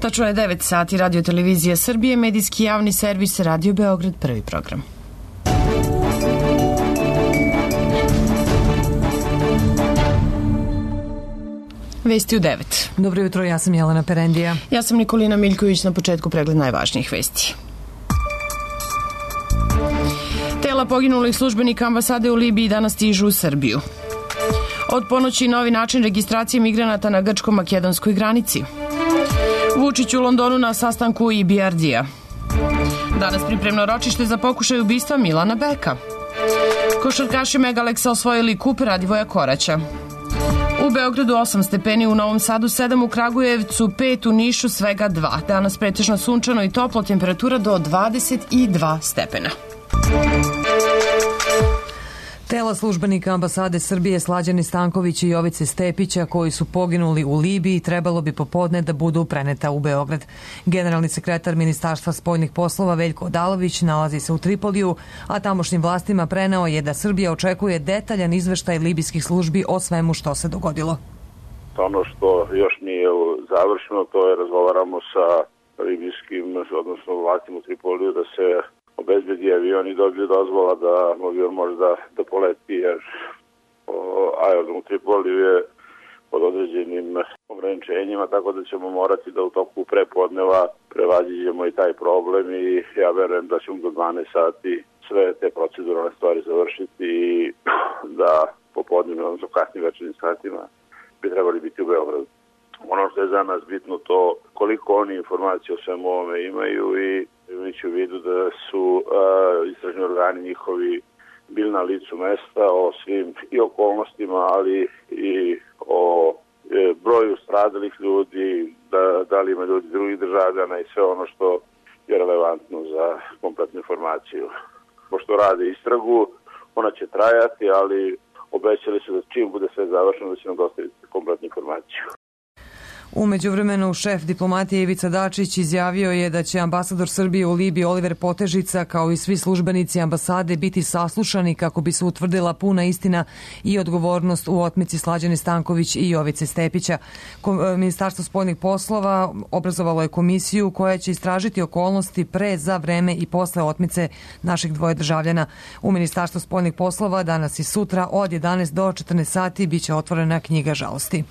Tačno je 9 sati, Radio Televizija Srbije, medijski javni servis Radio Beograd, prvi program. Vesti u 9. Dobro jutro, ja sam Jelena Perendija. Ja sam Nikolina Miljković, na početku pregled najvažnijih vesti. Tela poginulih službenika ambasade u Libiji danas stižu u Srbiju. Od ponoći novi način registracije migranata na grčko-makedonskoj granici. Vučić u Londonu na sastanku EBRD-a. Danas pripremno ročište za pokušaj ubistva Milana Beka. Košarkaši Megaleksa osvojili kup Radivoja Koraća. U Beogradu 8 stepeni, u Novom Sadu 7, u Kragujevcu 5, u Nišu svega 2. Danas pretežno sunčano i toplo, temperatura do 22 stepena. Tela službenika ambasade Srbije Slađane Stanković i Jovice Stepića, koji su poginuli u Libiji, trebalo bi popodne da budu preneta u Beograd. Generalni sekretar Ministarstva spoljnih poslova Veljko Odalović nalazi se u Tripoliju, a tamošnjim vlastima preneo je da Srbija očekuje detaljan izveštaj libijskih službi o svemu što se dogodilo. Ono što još nije završeno, to je razgovaramo sa libijskim, odnosno vlastima u Tripoliju, da se obezbedi avion i dobiju dozvola da avion može da poleti, jer aerodrom u Tripoliju je pod određenim ograničenjima, tako da ćemo morati da u toku prepodneva prevaziđemo i taj problem i ja verujem da ćemo do 12 sati sve te proceduralne stvari završiti i da popodnevno, odnosno kasnim večernjim satima bi trebali biti u Beogradu. Ono što je za nas bitno to koliko oni informacije o svemu ovome imaju i imajući u vidu da su istražni organi njihovi bili na licu mesta o svim i okolnostima, ali i o broju stradalih ljudi, da li ima ljudi drugih državljana i sve ono što je relevantno za kompletnu informaciju. Pošto rade istragu, ona će trajati, ali obećali su da čim bude sve završeno da će nam dostaviti kompletnu informaciju. U međuvremenu, šef diplomatije Ivica Dačić izjavio je da će ambasador Srbije u Libiji Oliver Potežica, kao i svi službenici ambasade, biti saslušani kako bi se utvrdila puna istina i odgovornost u otmici Slađane Stanković i Jovice Stepića. Ministarstvo spoljnih poslova obrazovalo je komisiju koja će istražiti okolnosti pre, za vreme i posle otmice naših dvoje državljana. U Ministarstvu spoljnih poslova danas i sutra od 11 do 14 sati biće otvorena knjiga žalosti.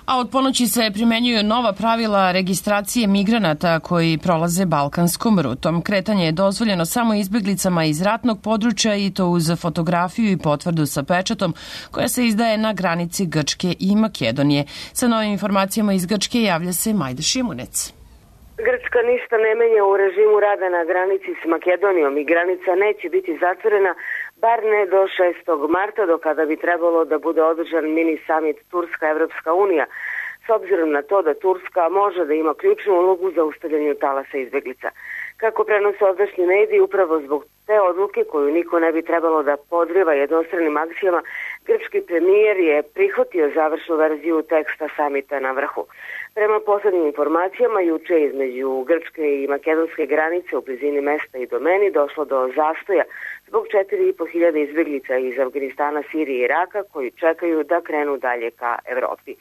A od ponoći se primenjuju nova pravila registracije migranata koji prolaze balkanskom rutom. Kretanje je dozvoljeno samo izbeglicama iz ratnog područja i to uz fotografiju i potvrdu sa pečatom koja se izdaje na granici Grčke i Makedonije. Sa novim informacijama iz Grčke javlja se Majda Šimunec. Grčka ništa ne menja u režimu rada na granici s Makedonijom i granica neće biti zatvorena, bar ne do 6. marta, do kada bi trebalo da bude održan mini summit Turska-Evropska unija, s obzirom na to da Turska može da ima ključnu ulogu za ustavljanju talasa izbeglica. Kako prenose ovdašnji mediji, upravo zbog te odluke koju niko ne bi trebalo da podriva jednostranim akcijama, grčki premijer je prihvatio završnu verziju teksta samita na vrhu. Prema poslednjim informacijama, juče između grčke i makedonske granice u blizini mesta i Domeni došlo do zastoja zbog 4.500 izbeglica iz Afganistana, Sirije i Iraka koji čekaju da krenu dalje ka Evropi.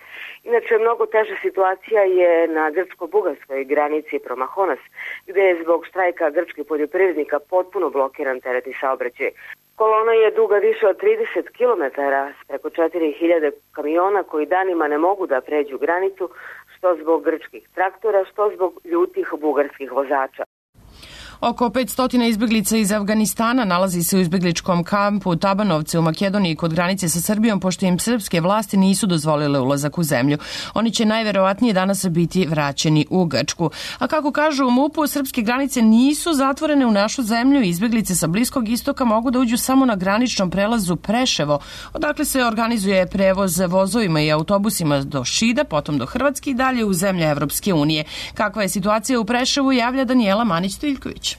Inače, mnogo teža situacija je na grčko-bugarskoj granici Promahonas, gde je zbog štrajka grčkih poljoprivrednika potpuno blokiran teretni saobraćaj. Kolona je duga više od 30 km s preko 4.000 kamiona koji danima ne mogu da pređu granicu, što zbog grčkih traktora, što zbog ljutih bugarskih vozača. Oko 500 izbeglica iz Afganistana nalazi se u izbegličkom kampu Tabanovce u Makedoniji kod granice sa Srbijom, pošto im srpske vlasti nisu dozvolile ulazak u zemlju. Oni će najverovatnije danas biti vraćeni u Grčku. A kako kažu u MUP-u, srpske granice nisu zatvorene u našu zemlju i izbeglice sa Bliskog istoka mogu da uđu samo na graničnom prelazu Preševo, odakle se organizuje prevoz vozovima i autobusima do Šida, potom do Hrvatske i dalje u zemlje Evropske unije. Kakva je situacija u Preševu, javlja Danijela Manić-Tiljković.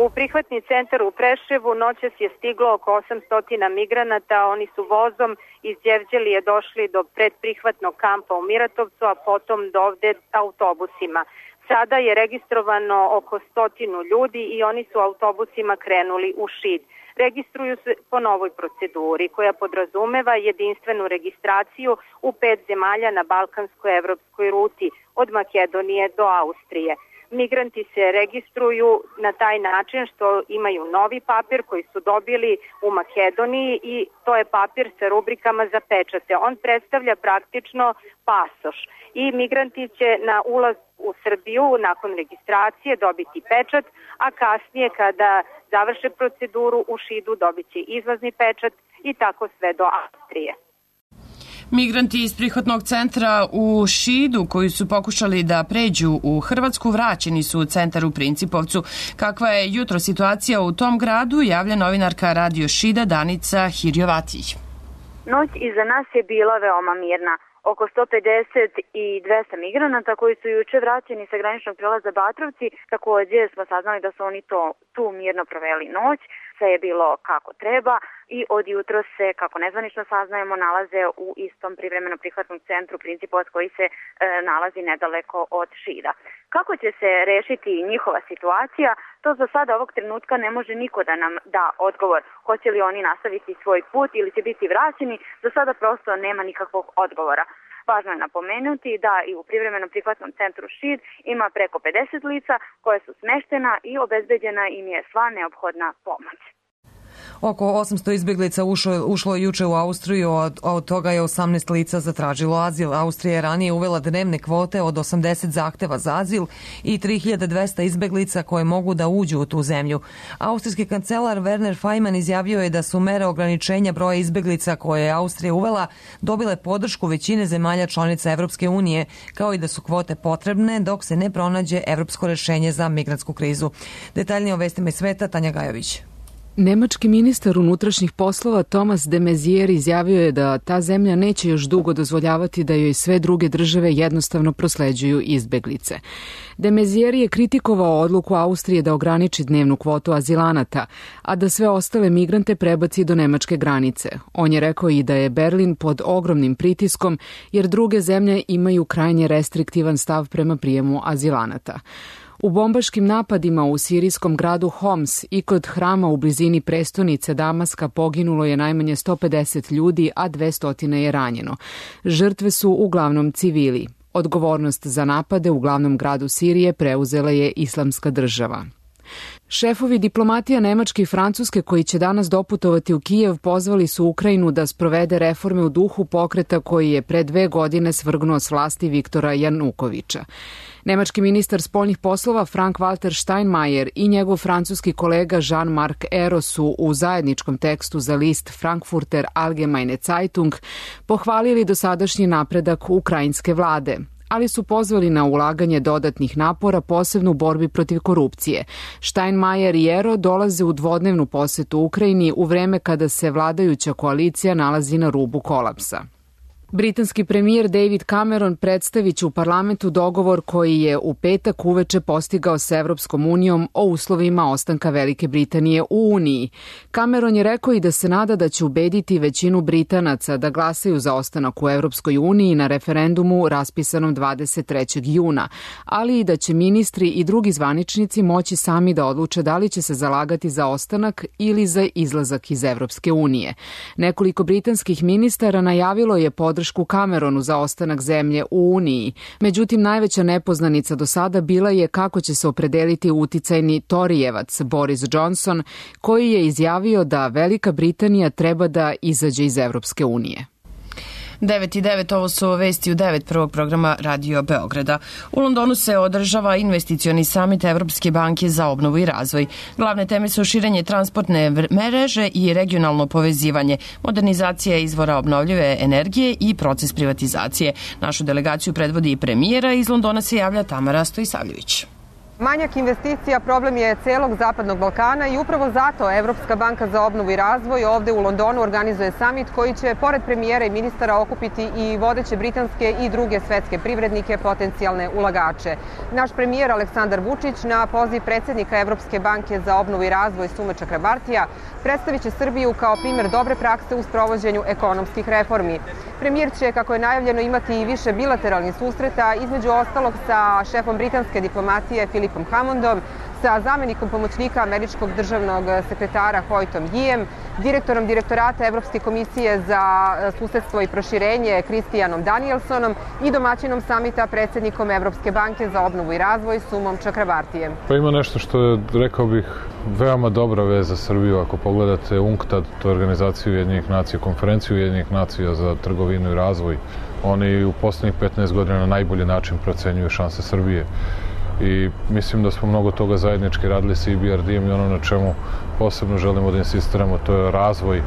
U prihvatni centar u Preševu noćas je stiglo oko 800 migranata. Oni su vozom iz Đevđelije došli do predprihvatnog kampa u Miratovcu, a potom do ovde autobusima. Sada je registrovano oko 100 ljudi i oni su autobusima krenuli u Šid. registruju se po novoj proceduri koja podrazumeva jedinstvenu registraciju u 5 zemalja na balkanskoj evropskoj ruti od Makedonije do Austrije. Migranti se registruju na taj način što imaju novi papir koji su dobili u Makedoniji i to je papir sa rubrikama za pečate. On predstavlja praktično pasoš i migranti će na ulaz u Srbiju nakon registracije dobiti pečat, a kasnije kada završe proceduru u Šidu dobit će izlazni pečat i tako sve do Austrije. Migranti iz prihvatnog centra u Šidu koji su pokušali da pređu u Hrvatsku vraćeni su u centar u Principovcu. Kakva je jutro situacija u tom gradu, javlja novinarka Radio Šida Danica Hirjovatić. Noć iza nas je bila veoma mirna. Oko 150 i 200 migranata koji su juče vraćeni sa graničnog prelaza Batrovci, takođe smo saznali da su oni tu mirno proveli noć, sve je bilo kako treba i od jutro se, kako nezvanično saznajemo, nalaze u istom privremeno prihvatnom centru Principovac koji se nalazi nedaleko od Šida. Kako će se rešiti njihova situacija, to za sada ovog trenutka ne može niko da nam da odgovor. Hoće li oni nastaviti svoj put ili će biti vraćeni, za sada prosto nema nikakvog odgovora. Važno je napomenuti da i u privremenom prihvatnom centru Šid ima preko 50 lica koje su smeštena i obezbeđena im je sva neophodna pomoć. Oko 800 izbjeglica ušlo juče u Austriju, a od toga je 18 lica zatražilo azil. Austrija je ranije uvela dnevne kvote od 80 zahteva za azil i 3200 izbjeglica koje mogu da uđu u tu zemlju. Austrijski kancelar Werner Faymann izjavio je da su mere ograničenja broja izbjeglica koje je Austrija uvela dobile podršku većine zemalja članica Evropske unije, kao i da su kvote potrebne dok se ne pronađe evropsko rešenje za migrantsku krizu. Detaljnije o vestima iz sveta, Tanja Gajović. Nemački ministar unutrašnjih poslova Thomas de Maizière izjavio je da ta zemlja neće još dugo dozvoljavati da joj sve druge države jednostavno prosleđuju izbeglice. De Maizière je kritikovao odluku Austrije da ograniči dnevnu kvotu azilanata, a da sve ostale migrante prebaci do nemačke granice. On je rekao i da je Berlin pod ogromnim pritiskom jer druge zemlje imaju krajnje restriktivan stav prema prijemu azilanata. U bombaškim napadima u sirijskom gradu Homs i kod hrama u blizini prestonice Damaska poginulo je najmanje 150 ljudi, a 200 je ranjeno. Žrtve su uglavnom civili. Odgovornost za napade u glavnom gradu Sirije preuzela je Islamska država. Šefovi diplomatija Nemačke i Francuske koji će danas doputovati u Kijev pozvali su Ukrajinu da sprovede reforme u duhu pokreta koji je pre 2 godine svrgnuo s vlasti Viktora Janukoviča. Nemački ministar spoljnih poslova Frank-Walter Steinmeier i njegov francuski kolega Jean-Marc Ayrault su u zajedničkom tekstu za list Frankfurter Allgemeine Zeitung pohvalili dosadašnji napredak ukrajinske vlade, ali su pozvali na ulaganje dodatnih napora, posebno u borbi protiv korupcije. Steinmeier i Ayrault dolaze u dvodnevnu posetu Ukrajini u vreme kada se vladajuća koalicija nalazi na rubu kolapsa. Britanski premijer David Cameron predstavit će u parlamentu dogovor koji je u petak uveče postigao s Evropskom unijom o uslovima ostanka Velike Britanije u Uniji. Cameron je rekao i da se nada da će ubediti većinu Britanaca da glasaju za ostanak u Evropskoj uniji na referendumu raspisanom 23. juna, ali i da će ministri i drugi zvaničnici moći sami da odluče da li će se zalagati za ostanak ili za izlazak iz Evropske unije. Nekoliko britanskih ministara najavilo je podršku Cameronu za ostanak zemlje u Uniji. Međutim, najveća nepoznanica do sada bila je kako će se opredeliti uticajni Torijevac Boris Johnson, koji je izjavio da Velika Britanija treba da izađe iz Evropske unije. 9:09, ovo su vesti u 9 prvog programa Radio Beograda. U Londonu se održava investicioni samit Evropske banke za obnovu i razvoj. Glavne teme su širenje transportne mreže i regionalno povezivanje, modernizacija izvora obnovljive energije i proces privatizacije. Našu delegaciju predvodi i premijera, iz Londona se javlja Tamara Stojisavljević. Manjak investicija problem je celog Zapadnog Balkana i upravo zato Evropska banka za obnovu i razvoj ovde u Londonu organizuje samit koji će pored premijera i ministara okupiti i vodeće britanske i druge svetske privrednike, potencijalne ulagače. Naš premijer Aleksandar Vučić na poziv predsjednika Evropske banke za obnovu i razvoj Sume Čakrabartija predstavit će Srbiju kao primjer dobre prakse u sprovođenju ekonomskih reformi. Premijer će, kako je najavljeno, imati i više bilateralnih susreta, između ostalog sa šefom britanske diplomatije Philipom Hammondom, sa zamenikom pomoćnika američkog državnog sekretara Hoytom Yijem, direktorom direktorata Evropske komisije za susedstvo i proširenje Kristijanom Danielsonom i domaćinom samita predsjednikom Evropske banke za obnovu i razvoj Sumom Čakrabartijem. Pa ima nešto što je, rekao bih, veoma dobra vez za Srbiju. Ako pogledate UNCTAD, to je organizaciju Ujedinjenih nacija, konferenciju Ujedinjenih nacija za trgovinu i razvoj, oni u poslednjih 15 godina na najbolji način procenjuju šanse Srbije. I mislim da smo mnogo toga zajednički radili sa EBRD-em i ono na čemu posebno želimo da insistiramo, to je razvoj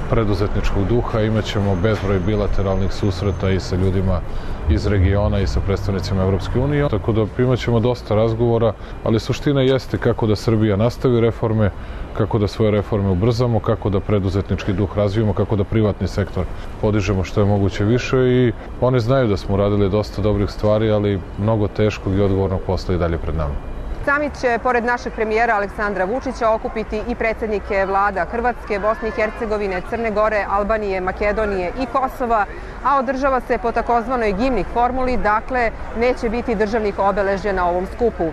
preduzetničkog duha. Imaćemo bezbroj bilateralnih susreta i sa ljudima iz regiona i sa predstavnicima Evropske unije. Tako da imaćemo dosta razgovora, ali suština jeste kako da Srbija nastavi reforme, kako da svoje reforme ubrzamo, kako da preduzetnički duh razvijemo, kako da privatni sektor podižemo što je moguće više i oni znaju da smo uradili dosta dobrih stvari, ali mnogo teškog i odgovornog posla i dalje pred nama. Samit će, pored našeg premijera Aleksandra Vučića, okupiti i predsjednike vlada Hrvatske, Bosne i Hercegovine, Crne Gore, Albanije, Makedonije i Kosova, a održava se po takozvanoj Gimnik formuli, dakle neće biti državnih obeležja na ovom skupu.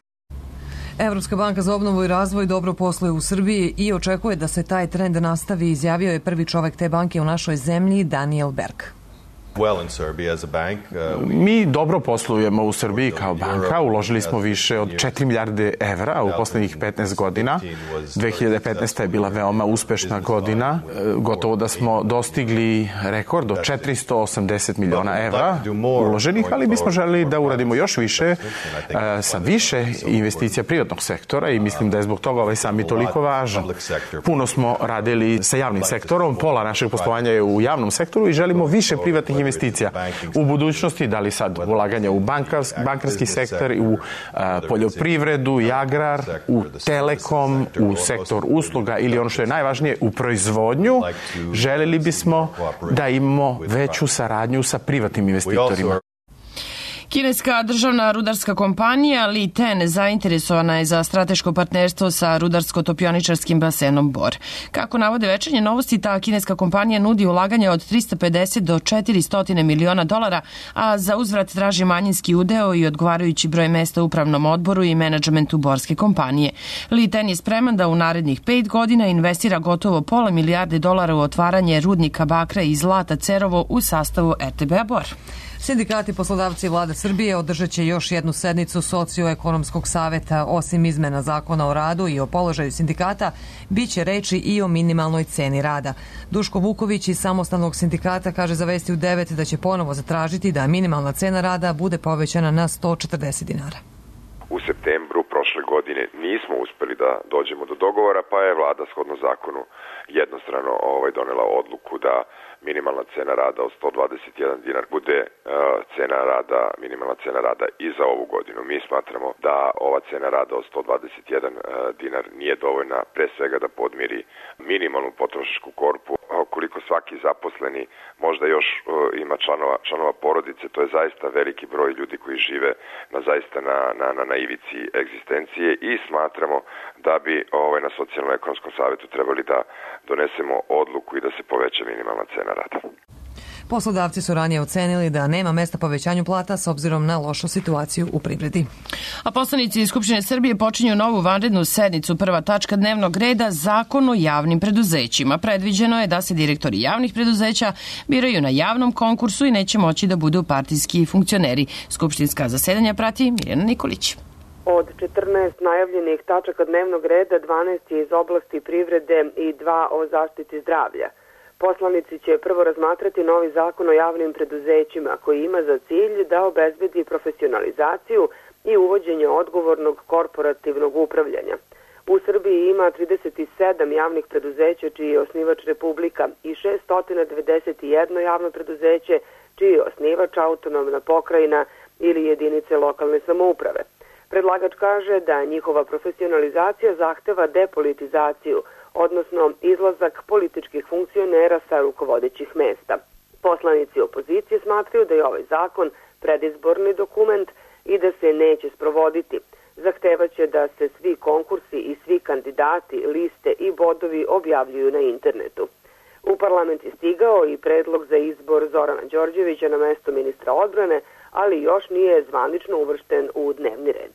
Evropska banka za obnovu i razvoj dobro posluje u Srbiji i očekuje da se taj trend nastavi, izjavio je prvi čovek te banke u našoj zemlji, Daniel Berg. Mi dobro poslujemo u Srbiji kao banka, uložili smo više od 4 milijarde evra u poslednjih 15 godina. 2015. je bila veoma uspešna godina, gotovo da smo dostigli rekord od 480 miliona evra uloženih, ali bismo želeli da uradimo još više sa više investicija privatnog sektora i mislim da je zbog toga ovaj samit toliko važan. Puno smo radili sa javnim sektorom, pola našeg poslovanja je u javnom sektoru i želimo više privatnih investicija u budućnosti, da li sad ulaganja u bankarski sektor, u poljoprivredu i agrar, u telekom, u sektor usluga ili ono što je najvažnije, u proizvodnju, želeli bismo da imamo veću saradnju sa privatnim investitorima. Kineska državna rudarska kompanija Li Ten zainteresovana je za strateško partnerstvo sa rudarsko-topioničarskim basenom Bor. Kako navode Večernje novosti, ta kineska kompanija nudi ulaganje od 350 do 400 miliona dolara, a za uzvrat traži manjinski udeo i odgovarajući broj mesta u upravnom odboru i menadžmentu borske kompanije. Li Ten je spreman da u narednih 5 godina investira gotovo pola milijarde dolara u otvaranje rudnika bakra i zlata Cerovo u sastavu RTB-a Bor. Sindikati, poslodavci i vlada Srbije održat će još jednu sednicu Socioekonomskog saveta. Osim izmena zakona o radu i o položaju sindikata, bit će reči i o minimalnoj ceni rada. Duško Vuković iz Samostalnog sindikata kaže za Vesti u 9 da će ponovo zatražiti da minimalna cena rada bude povećana na 140 dinara. U septembru prošle godine nismo uspeli da dođemo do dogovora, pa je vlada shodno zakonu jednostrano donela odluku da minimalna cena rada od 121 dinar bude minimalna cena rada i za ovu godinu. Mi smatramo da ova cena rada od 121 dinar nije dovoljna pre svega da podmiri minimalnu potrošačku korpu. Koliko svaki zaposleni možda još ima članova porodice, to je zaista veliki broj ljudi koji žive na ivici egzistencije i smatramo da bi na Socijalno-ekonomskom savetu trebali da donesemo odluku i da se poveća minimalna cena rada. Poslodavci su ranije ocenili da nema mesta povećanju plata s obzirom na lošu situaciju u privredi. A poslanici iz Skupštine Srbije počinju novu vanrednu sednicu. Prva tačka dnevnog reda – Zakon o javnim preduzećima. Predviđeno je da se direktori javnih preduzeća biraju na javnom konkursu i neće moći da budu partijski funkcioneri. Skupštinska zasedanja prati Mirjana Nikolić. Od 14 najavljenih tačaka dnevnog reda, 12 je iz oblasti privrede i 2 o zaštiti zdravlja. Poslanici će prvo razmatrati novi zakon o javnim preduzećima koji ima za cilj da obezbedi profesionalizaciju i uvođenje odgovornog korporativnog upravljanja. U Srbiji ima 37 javnih preduzeća čiji je osnivač Republika i 691 javno preduzeće čiji je osnivač autonomna pokrajina ili jedinice lokalne samouprave. Predlagač kaže da njihova profesionalizacija zahteva depolitizaciju, odnosno izlazak političkih funkcionera sa rukovodećih mesta. Poslanici opozicije smatraju da je ovaj zakon predizborni dokument i da se neće sprovoditi. Zahtevaće da se svi konkursi i svi kandidati, liste i bodovi objavljuju na internetu. U parlament je stigao i predlog za izbor Zorana Đorđevića na mesto ministra odbrane, ali još nije zvanično uvršten u dnevni red.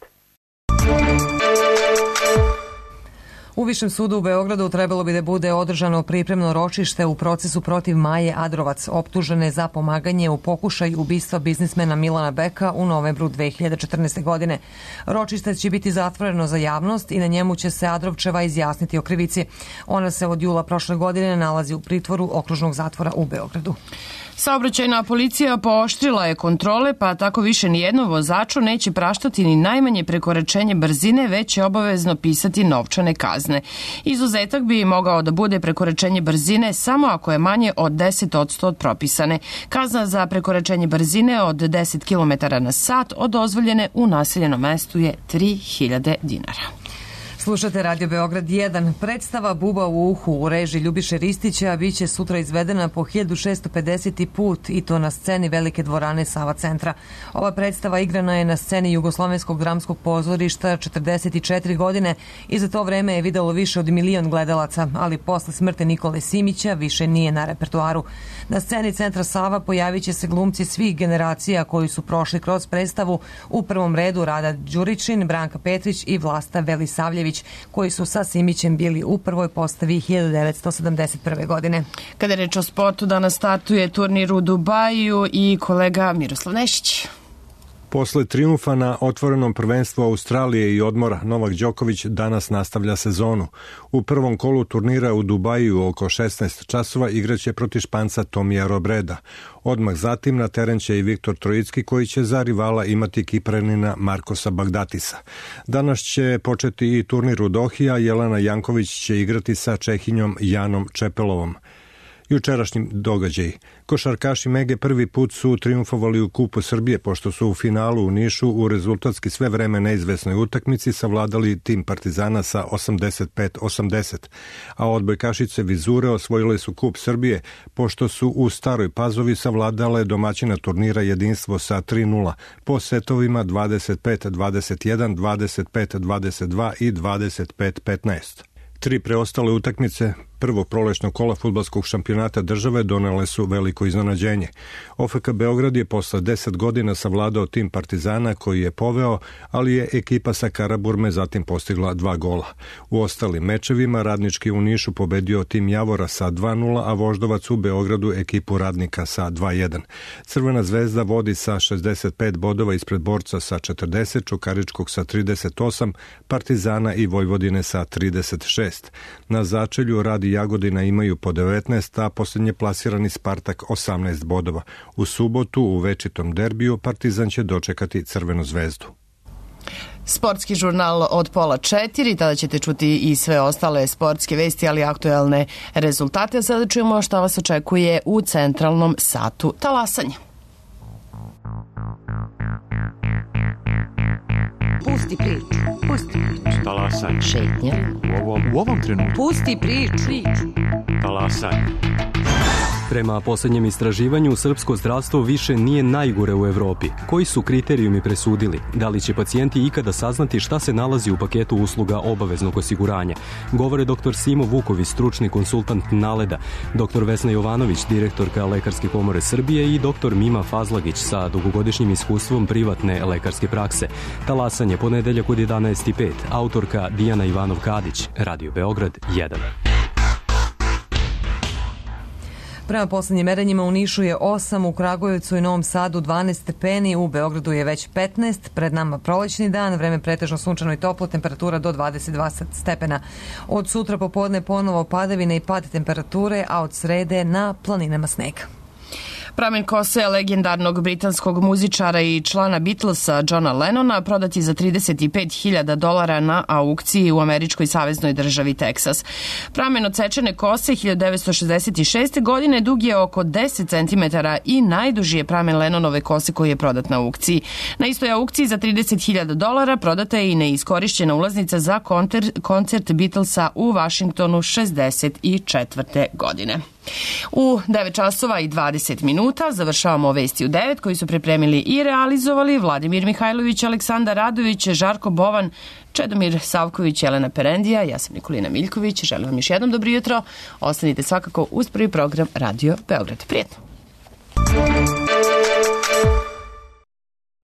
U Višem sudu u Beogradu trebalo bi da bude održano pripremno ročište u procesu protiv Maje Adrovac, optužene za pomaganje u pokušaju ubistva biznismena Milana Beka u novembru 2014. godine. Ročište će biti zatvoreno za javnost i na njemu će se Adrovčeva izjasniti o krivici. Ona se od jula prošle godine nalazi u pritvoru okružnog zatvora u Beogradu. Saobraćajna policija pooštrila je kontrole, pa tako više nijednom vozaču neće praštati ni najmanje prekoračenje brzine, već će obavezno pisati novčane kazne. Izuzetak bi mogao da bude prekoračenje brzine samo ako je manje od 10% od propisane. Kazna za prekoračenje brzine od 10 km na sat od dozvoljene u naseljenom mestu je 3.000 dinara. Slušate Radio Beograd 1. Predstava Buba u uhu u režiji Ljubiše Ristića biće sutra izvedena po 1650. put i to na sceni Velike dvorane Sava centra. Ova predstava igrana je na sceni Jugoslovenskog dramskog pozorišta 44 godine i za to vreme je videlo više od 1 milion gledalaca, ali posle smrti Nikole Simića više nije na repertoaru. Na sceni centra Sava pojavit će se glumci svih generacija koji su prošli kroz predstavu, u prvom redu Rada Đuričin, Branka Petrić i Vlasta Velisavljević, koji su sa Simićem bili u prvoj postavi 1971. godine. Kada je reč o sportu, danas startuje turnir u Dubaju i kolega Miroslav Nešić. Posle trijumfa na otvorenom prvenstvu Australije i odmora, Novak Đoković danas nastavlja sezonu. U prvom kolu turnira u Dubaju oko 16 časova igraće protiv Španca Tomija Robreda. Odmah zatim na teren će i Viktor Trojicki, koji će za rivala imati Kipranina Markosa Bagdatisa. Danas će početi i turnir u Dohi, a Jelena Janković će igrati sa Čehinjom Janom Čepelovom. Jučerašnji događaj. Košarkaši Mege prvi put su triumfovali u Kupu Srbije, pošto su u finalu u Nišu u rezultatski sve vreme neizvesnoj utakmici savladali tim Partizana sa 85-80, a odbojkašice Vizure osvojile su Kup Srbije, pošto su u Staroj Pazovi savladale domaćina turnira Jedinstvo sa 3-0, po setovima 25-21, 25-22 i 25-15. Tri preostale utakmice prvog prolećnog kola fudbalskog šampionata države donele su veliko iznenađenje. OFK Beograd je posle 10 godina savladao tim Partizana koji je poveo, ali je ekipa sa Karaburme zatim postigla 2 gola. U ostalim mečevima Radnički u Nišu pobedio tim Javora sa 2-0, a Voždovac u Beogradu ekipu Radnika sa 2-1. Crvena zvezda vodi sa 65 bodova ispred Borca sa 40, Čukaričkog sa 38, Partizana i Vojvodine sa 36. Na začelju Radi Jagodina imaju po 19, a posljednje plasirani Spartak 18 bodova. U subotu u večitom derbiju Partizan će dočekati Crvenu zvezdu. Sportski žurnal od 3:30, tada ćete čuti i sve ostale sportske vesti, ali aktuelne rezultate. Sada čujemo šta vas očekuje u centralnom satu talasanja. Pusti priču, pusti priču. Talasanje. Šetnja. U ovom trenutku. Pusti priču. Talasanje. Prema posljednjem istraživanju, srpsko zdravstvo više nije najgore u Evropi. Koji su kriterijumi presudili? Da li će pacijenti ikada saznati šta se nalazi u paketu usluga obaveznog osiguranja? Govore dr. Simo Vuković, stručni konsultant Naleda, dr. Vesna Jovanović, direktorka Lekarske komore Srbije i dr. Mima Fazlagić sa dugogodišnjim iskustvom privatne lekarske prakse. Talasanje ponedeljak od 11:05. Autorka Dijana Ivanov-Kadić, Radio Beograd 1. Prema poslednjim merenjima u Nišu je 8, u Kragujevcu i Novom Sadu 12 stepeni, u Beogradu je već 15, pred nama prolećni dan, vreme pretežno sunčano i toplo, temperatura do 22 stepena. Od sutra popodne ponovo padavine i pad temperature, a od srede na planinama sneg. Pramen kose legendarnog britanskog muzičara i člana Beatlesa Johna Lennona prodat je za $35.000 na aukciji u američkoj saveznoj državi Teksas. Pramen odsečene kose 1966. godine dug je oko 10 cm i najduži je pramen Lennonove kose koji je prodat na aukciji. Na istoj aukciji za $30.000 prodata je i neiskorišćena ulaznica za koncert Beatlesa u Vašingtonu 64. godine. U 9:20 završavamo vesti u 9 koji su pripremili i realizovali Vladimir Mihajlović, Aleksandar Radović, Žarko Bovan, Čedomir Savković, Jelena Perendija, ja sam Nikolina Miljković. Želim vam još jednom dobro jutro. Ostanite svakako uz prvi program Radio Beograd. Prijetno!